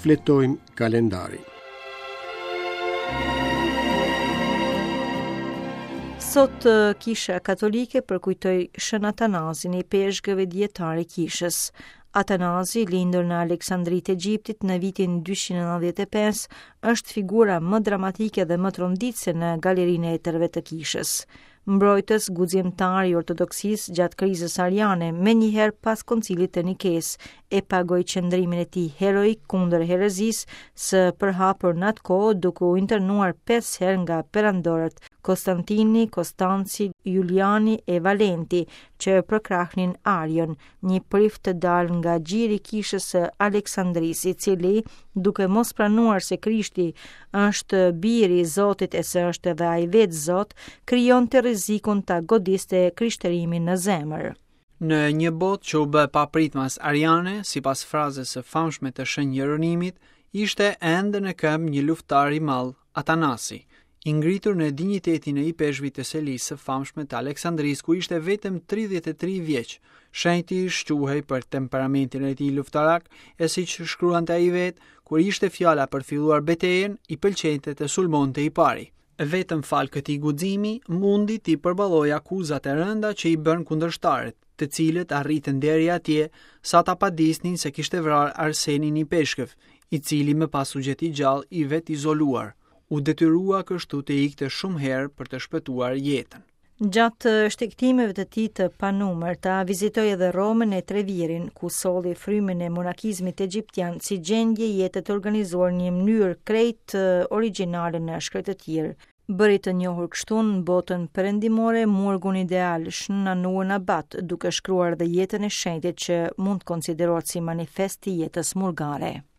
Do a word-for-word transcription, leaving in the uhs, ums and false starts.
Shfletojmë kalendarin. Sot Kisha Katolike përkujtoi Shën Atanazin, ipeshkëv e dijetar i kishës. Atanazi, lindur në Aleksandri të Egjiptit në vitin dyqind e nëntëdhjetë e pesë, është figura më dramatike dhe më tronditëse në galerinë e etërve të kishës. Mbrojtës guximtar i ortodoksisë gjatë krizës ariane, menjëherë pas koncilit të Nikes, e pagoi qëndrimin e tij heroik kundër herezisë së përhapur në atë kohë, duke u internuar pesë herë nga perandorët Konstantini, Konstanci, Juliani e Valenti, që përkrahnin Arion, një prift të dalë nga gjiri i kishës së Aleksandrisë, i cili, duke mos pranuar se Krishti është biri i Zotit e se është edhe ai vetë Zot, krijonte rrezikun ta godiste krishterimin në zemër. Në një botë që u bë papritmas ariane, sipas frazës së famshme të Shën Jeronimit, ishte ende në këmbë një luftëtar i madh, Atanasi, i ngritur në dinjitetin e ipeshkvit të selisë së famshme të Aleksandrisë, ku ishte vetëm tridhjetë e tri vjeç. Shenjti shquhej për temperamentin e tij luftarak, e siç shkruante ai vetë, kur ishte fjala për filluar betejën, i pëlqente të sulmonte i pari. Vetëm fal këtij guximi, mundi t'i përballojë akuzat e rënda që i bën kundërshtarët, të cilët arritën deri atje sa ta padisnin se kishte vrarë Arsenin ipeshkëv, i cili më pas u gjet i gjallë i vetizoluar. U detyrua kështu të ikte shumë herë për të shpëtuar jetën. Gjatë shtegtimeve të tij të panumërta, vizitoi edhe Romën e Trevirin, ku solli frymën e monakizmit egjiptian si gjendje jete të organizuar në një mënyrë krejt origjinale në shkretëtirë. Bëri të njohur kështu në botën perëndimore murgun ideal Shën Anuën Abat, duke shkruar dhe jetën e shenjtit që mund të konsiderohet si manifest i jetës murgare.